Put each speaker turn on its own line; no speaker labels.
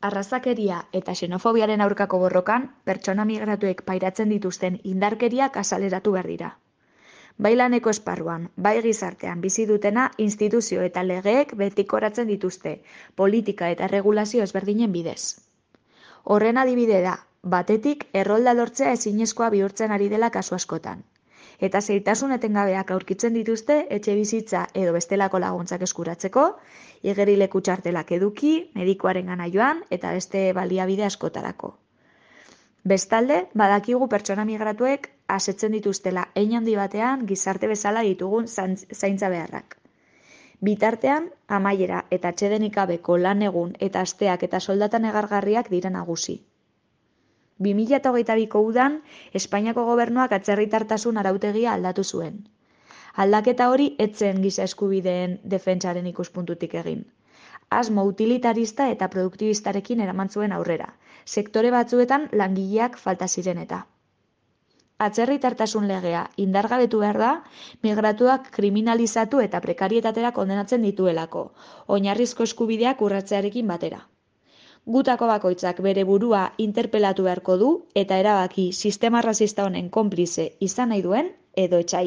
Arrazakeria eta xenofobiaren aurkako borrokan, pertsona migratuek pairatzen dituzten indarkeriak azaleratu behar dira. Bai laneko esparruan, bai gizartean bizi dutena instituzio eta legeek betikoratzen dituzte, politika eta erregulazio ezberdinen bidez. Horren adibide da, batetik errolda lortzea ezinezkoa bihurtzen ari dela kasu askotan. Eta zailtasun etengabeak aurkitzen dituzte etxebizitza edo bestelako laguntzak eskuratzeko, igerileku txartelak eduki, medikuarengana joan eta beste baliabide askotarako. Bestalde, badakigu pertsona migratuek asetzen dituztela hein handi batean gizarte bezala ditugun zaintza beharrak. Bitartean, amaiera eta atsedenik gabeko lan egun eta asteak eta soldata negargarriak dira nagusi. 2022ko udan, Espainiako gobernuak atzerritartasun arautegia aldatu zuen. Aldaketa hori ez zen giza eskubideen defentsaren ikuspuntutik egin. Asmo utilitarista eta produktibistarekin eraman zuen aurrera, sektore batzuetan langileak falta ziren eta. Atzerritartasun legea indargabetu behar da, migratuak kriminalizatu eta prekarietatera kondenatzen dituelako, oinarrizko eskubideak urratzearekin batera. Gutako bakoitzak bere burua interpelatu beharko du eta erabaki sistema arrazista honen konplize izan nahi duen edo etsai.